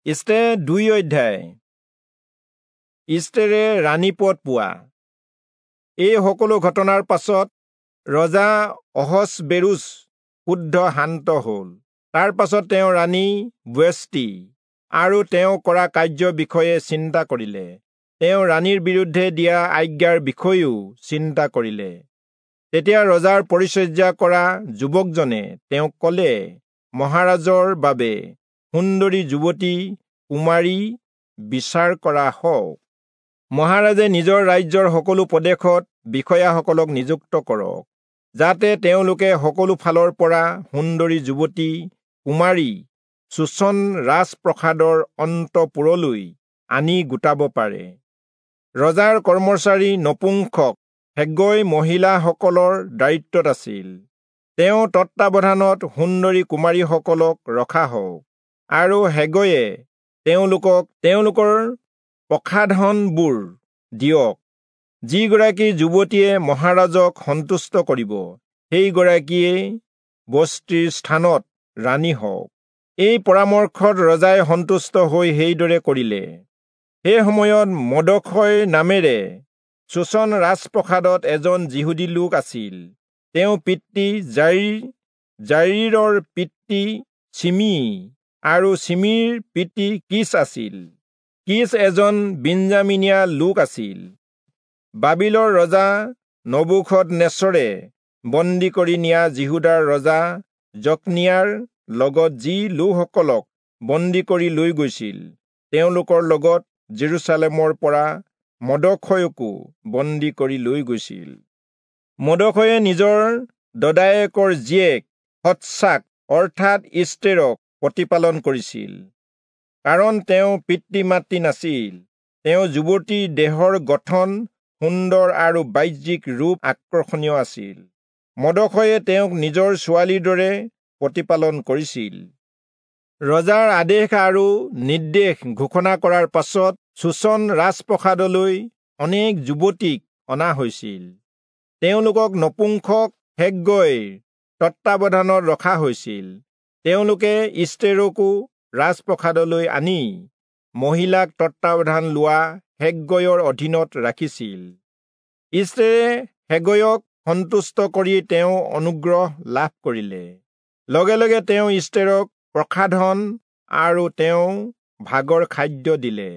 ইষ্টেৰ 2 অধ্যায়। ইষ্টেৰে ৰাণী পদ পোৱা। এই সকলো ঘটনাৰ পাছত ৰজা অহচবেৰুচ ক্ৰুদ্ধ শান্ত হ'ল। তাৰ পাছত তেওঁ ৰাণী ৱেষ্টি আৰু তেওঁ কৰা কাৰ্যৰ বিষয়ে চিন্তা কৰিলে। তেওঁ ৰাণীৰ বিৰুদ্ধে দিয়া আজ্ঞাৰ বিষয়েও চিন্তা কৰিলে। তেতিয়া ৰজাৰ পৰিচৰ্যা কৰা যুৱকজনে তেওঁক ক'লে, মহাৰাজৰ বাবে সুন্দৰী যুৱতী কুমাৰী বিচাৰ কৰা হওক। মহাৰাজে নিজৰ ৰাজ্যৰ সকলো প্ৰদেশত বিষয়াসকলক নিযুক্ত কৰক, যাতে তেওঁলোকে সকলো ফালৰ পৰা সুন্দৰী যুৱতী কুমাৰী চূচন ৰাজপ্ৰসাদৰ অন্তঃপুৰলৈ আনি গোটাব পাৰে। ৰজাৰ কৰ্মচাৰী নপুংসক হেগৈ মহিলাসকলৰ দায়িত্বত আছিল। তেওঁ তত্বাৱধানত সুন্দৰী কুমাৰীসকলক ৰখা হওক আৰু হেগৈয়ে তেওঁলোকক তেওঁলোকৰ প্ৰসাধনবোৰ দিয়ক। যিগৰাকী যুৱতীয়ে মহাৰাজক সন্তুষ্ট কৰিব, সেইগৰাকীয়েই বস্তিৰ স্থানত ৰাণী হওক। এই পৰামৰ্শত ৰজাই সন্তুষ্ট হৈ সেইদৰে কৰিলে। সেই সময়ত মৰ্দখয় নামেৰে চূচন ৰাজপ্ৰসাদত এজন যিহুদী লোক আছিল। তেওঁ পিতৃ যাইৰ, যাইৰৰ পিতৃ চিমি আৰু চিমিৰ পিতৃ কিচ আছিল। কিচ এজন বিন্যামীনীয়া লোক আছিল। বাবিলৰ ৰজা নবূখদনেচৰে বন্দী কৰি নিয়া যিহূদাৰ ৰজা জকনিয়াৰ লগত যি লোকসকলক বন্দী কৰি লৈ গৈছিল, তেওঁলোকৰ লগত জেৰুচালেমৰ পৰা মৰ্দখয়কো বন্দী কৰি লৈ গৈছিল। মৰ্দখয়ে নিজৰ দদায়েকৰ জীয়েক হদচাক অৰ্থাৎ ইষ্টেৰক প্ৰতিপালন কৰিছিল, কাৰণ তেওঁ পিতৃ মাতৃ নাছিল। তেওঁ যুৱতীৰ দেহৰ গঠন সুন্দৰ আৰু বাহ্যিক ৰূপ আকৰ্ষণীয় আছিল। মৰ্দখয়ে তেওঁক নিজৰ ছোৱালীৰ দৰে প্ৰতিপালন কৰিছিল। ৰজাৰ আদেশ আৰু নিৰ্দেশ ঘোষণা কৰাৰ পাছত চূচন ৰাজপ্ৰসাদলৈ অনেক যুৱতীক অনা হৈছিল। তেওঁলোকক নপুংসক হেগৈৰ তত্বাৱধানত ৰখা হৈছিল। তেওঁলোকে ইষ্টেৰকো ৰাজপ্ৰসাদলৈ আনি মহিলাক তত্বাৱধান লোৱা হেগৈৰ অধীনত ৰাখিছিল। ইষ্টেৰে হেগৈক সন্তুষ্ট কৰি তেওঁ অনুগ্ৰহ লাভ কৰিলে। লগে লগে তেওঁ ইষ্টেৰক প্ৰসাধন আৰু তেওঁ ভাগৰ খাদ্য দিলে।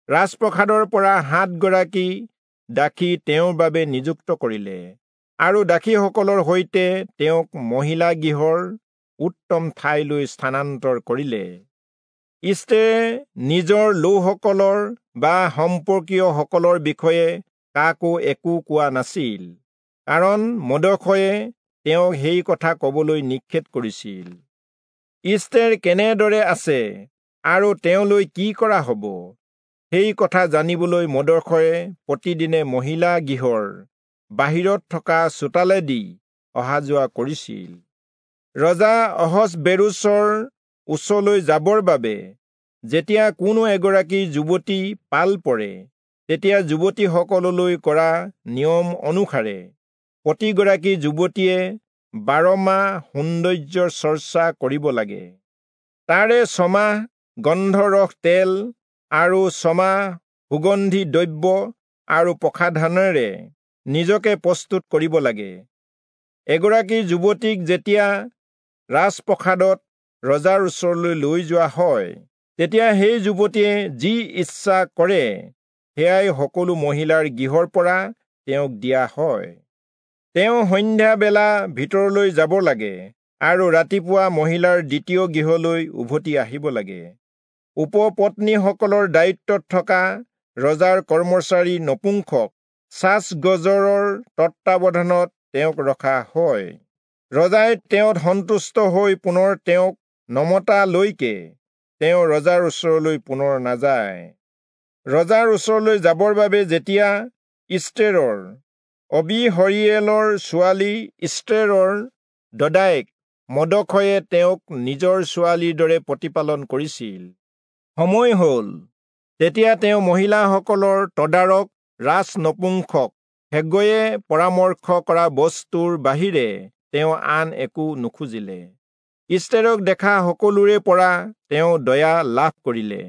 ৰাজপ্ৰসাদৰ পৰা 7 গৰাকী দাসী তেওঁৰ বাবে নিযুক্ত কৰিলে আৰু দাসীসকলৰ সৈতে তেওঁক মহিলা গৃহৰ উত্তম ঠাইলৈ স্থানান্তৰ কৰিলে। ইষ্টেৰে নিজৰ লোকসকলৰ বা সম্পৰ্কীয়সকলৰ বিষয়ে কাকো একো কোৱা নাছিল, কাৰণ মৰ্দখয়ে তেওঁক সেই কথা ক'বলৈ নিষেধ কৰিছিল। ইষ্টেৰ কেনেদৰে আছে আৰু তেওঁলৈ কি কৰা হ'ব, সেই কথা জানিবলৈ মৰ্দখয়ে প্ৰতিদিনে মহিলা গৃহৰ বাহিৰত থকা চোতালেদি অহা যোৱা কৰিছিল। ৰজা অহচবেৰুচৰ ওচৰলৈ যাবৰ বাবে যেতিয়া কোনো এগৰাকী যুৱতী পাল পৰে, তেতিয়া যুৱতীসকললৈ কৰা নিয়ম অনুসাৰে প্ৰতিগৰাকী যুৱতীয়ে 12 মাহ সৌন্দৰ্যৰ চৰ্চা কৰিব লাগে। তাৰে 6 মাহ গন্ধৰস তেল আৰু 6 মাহ সুগন্ধি দ্ৰব্য আৰু প্ৰসাধনেৰে নিজকে প্ৰস্তুত কৰিব লাগে। এগৰাকী যুৱতীক যেতিয়া ৰাজপ্ৰসাদত ৰজাৰ ওচৰলৈ লৈ যোৱা হয়, তেতিয়া সেই যুৱতীয়ে যি ইচ্ছা কৰে সেয়াই সকলো মহিলাৰ গৃহৰ পৰা তেওঁক দিয়া হয়। তেওঁ সন্ধ্যাবেলা ভিতৰলৈ যাব লাগে আৰু ৰাতিপুৱা মহিলাৰ দ্বিতীয় গৃহলৈ উভতি আহিব লাগে। উপপত্নীসকলৰ দায়িত্বত থকা ৰজাৰ কৰ্মচাৰী নপুংসক চাচগজৰৰ তত্বাৱধানত তেওঁক ৰখা হয়। ৰজাই তেওঁত সন্তুষ্ট হৈ পুনৰ তেওঁক নমতালৈকে তেওঁ ৰজাৰ ওচৰলৈ পুনৰ নাযায়। ৰজাৰ ওচৰলৈ যাবৰ বাবে যেতিয়া ইষ্টেৰৰ অবিহৰিয়েলৰ ছোৱালী ইষ্টেৰৰ দদায়েক মৰ্দখয়ে তেওঁক নিজৰ ছোৱালীৰ দৰে প্ৰতিপালন কৰিছিল, সময় হ'ল, তেতিয়া তেওঁ মহিলাসকলৰ তদাৰক ৰাজ নপুংসক হেগৈয়ে পৰামৰ্শ কৰা বস্তুৰ বাহিৰে তেওঁ আন একো নুখুজিলে। ইষ্টেৰক দেখা সকলোৰে পৰা তেওঁ দয়া লাভ কৰিলে।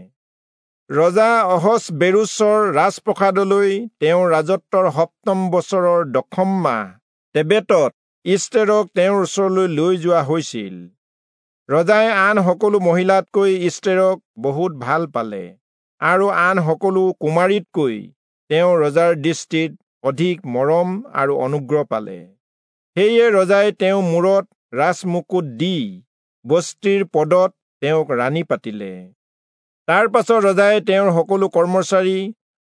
ৰজা অহচবেৰোচৰ ৰাজপ্ৰসাদলৈ তেওঁৰ ৰাজত্বৰ সপ্তম বছৰৰ দশম মাহ তেবেতত ইষ্টেৰক তেওঁৰ ওচৰলৈ লৈ যোৱা হৈছিল। ৰজাই আন সকলো মহিলাতকৈ ইষ্টেৰক বহুত ভাল পালে আৰু আন সকলো কুমাৰীতকৈ তেওঁ ৰজাৰ দৃষ্টিত অধিক মৰম আৰু অনুগ্ৰহ পালে। সেয়ে ৰজাই তেওঁ মূৰত ৰাজমুকুট দি বস্তিৰ পদত তেওঁক ৰাণী পাতিলে। তাৰ পাছত ৰজাই তেওঁৰ সকলো কৰ্মচাৰী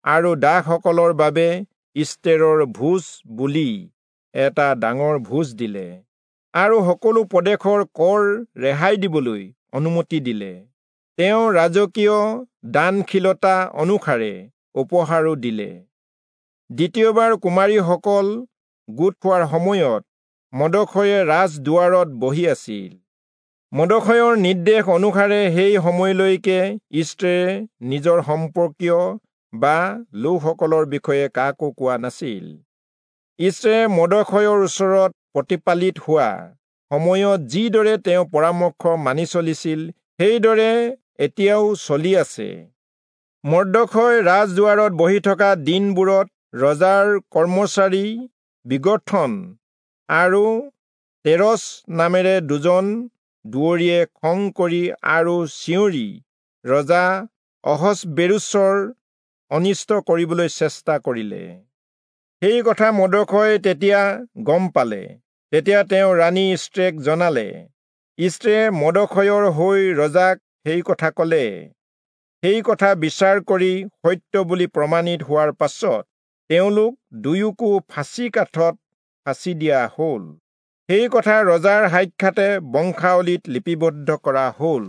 আৰু দাসসকলৰ বাবে ইষ্টেৰৰ ভোজ বুলি এটা ডাঙৰ ভোজ দিলে আৰু সকলো প্ৰদেশৰ কৰ ৰেহাই দিবলৈ অনুমতি দিলে। তেওঁ ৰাজকীয় দানশীলতা অনুসাৰে উপহাৰো দিলে। দ্বিতীয়বাৰ কুমাৰীসকল গোট খোৱাৰ সময়ত মৰ্দখয়ে ৰাজদুৱাৰত বহি আছিল। মৰ্দখয়ৰ নিৰ্দেশ অনুসাৰে সেই সময়লৈকে ইষ্টেৰে নিজৰ সম্পৰ্কীয় বা লোকসকলৰ বিষয়ে কাকো কোৱা নাছিল। ইষ্টেৰে মৰ্দখয়ৰ ওচৰত প্ৰতিপালিত হোৱা সময়ত যিদৰে তেওঁ পৰামৰ্শ মানি চলিছিল, সেইদৰে এতিয়াও চলি আছে। মৰ্দখয় ৰাজদুৱাৰত বহি থকা দিনবোৰত ৰজাৰ কৰ্মচাৰী বিগৰ্থন আৰু তেৰচ নামেৰে দুজন দুৱৰীয়ে খং কৰি আৰু চিঞৰি ৰজা অহচবেৰোচৰ অনিষ্ট কৰিবলৈ চেষ্টা কৰিলে। সেই কথা মৰ্দখয়ে তেতিয়া গম পালে। তেতিয়া তেওঁ ৰাণী ইষ্টেৰক জনালে। ইষ্টেৰে মৰ্দখয়ৰ হৈ ৰজাক সেই কথা কলে। সেই কথা বিচাৰ কৰি সত্য বুলি প্ৰমাণিত হোৱাৰ পাছত তেওঁলোক দুয়োকো ফাঁচী কাঠত ফাঁচী দিয়া হ'ল। সেই কথা ৰজাৰ সাক্ষাতে বংশাৱলীত লিপিবদ্ধ কৰা হ'ল।